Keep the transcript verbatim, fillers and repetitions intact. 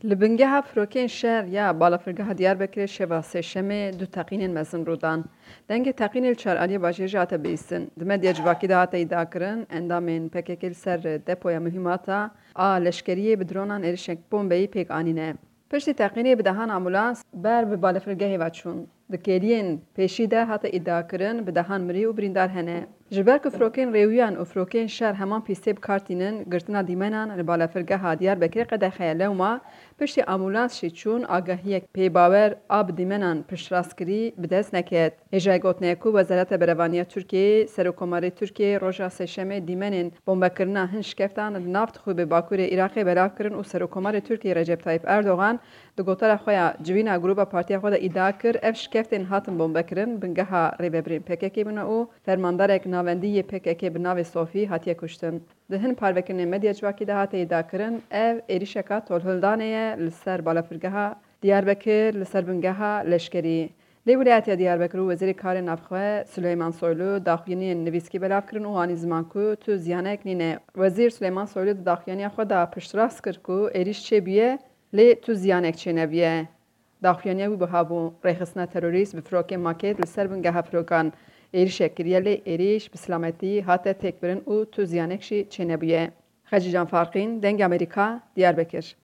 Li bingeha firokên şer ya balafirgeha Diyarbekirê şeva Sêşemê du teqînên mezin rû dan. Dengê teqînê li çar aliyê bajêr jî hate bihîstin. Di medya civakî de hate îdiakirin, endamên P K K li ser depoya muhîmata a leşkeriyê bi dronan êrişek bombeyî pêk anîne. Piştî teqînê bi dehan ambulans ber bi balafirgehê ve çûn. Di kêliyên pêşî de hate îdiakirin, bi dehan mirî û birîndar hene. Ji ber ku firokên rêwiyan û firokên şer heman pîstê bi kar tînin, girtina dîmenan li balafirgeha Diyarbekirê qedexe ye. Lewma piştî ambulans jî çûn, agahiyek pêbawer a bi dîmenan piştrast kirî bi dest neket. Hêjayê gotinê ye ku Wezareta Berevaniya Tirkiyeyê, Serokkomarê Tirkiyeyê roja Sêşemê dîmenên bombekirina hin şikeftan li nav Dixûbê Bakurê Iraqê belav kirin û Serokkomarê Tirkiyeyê Recep Tayyip Erdogan di gotara xwe ya civîna grûba partiya xwe de îdia kir, ev şikeftên hatin bombekirin bingeha rêvebirên P K K bûne û fermandarek navendî yê P K K bi navê Sofî hatiye kuştin. Di hin parvekirinên medya civakî de hate îdiakirin, ev êrîşeka tolhildanê ye li ser balafirgeha Diyarbekir, li ser bingeha leşkerî. Lê Wîlayetiya Diyarbekir û Wezîrê Karê Navxwe Sileyman Soylu daxuyaniyên nivîskî belav kirin û anî ziman ku tu ziyanek nîne. Wezîr Sileyman Soylu di daxuyaniya xwe de piştrast kir ku êrîş çêbûye, lê tu ziyanek çênebûye. Daxuyaniya wî buha bû, rêxistina terorîst bi firokên makêt li ser bingeha firokan êrîşek kiriye, lê êrîş bi silametî hate têkbirin û tu ziyanek jî çênebûye. Xecîcan Farqîn, Dengê Amerîka, Diyarbekir.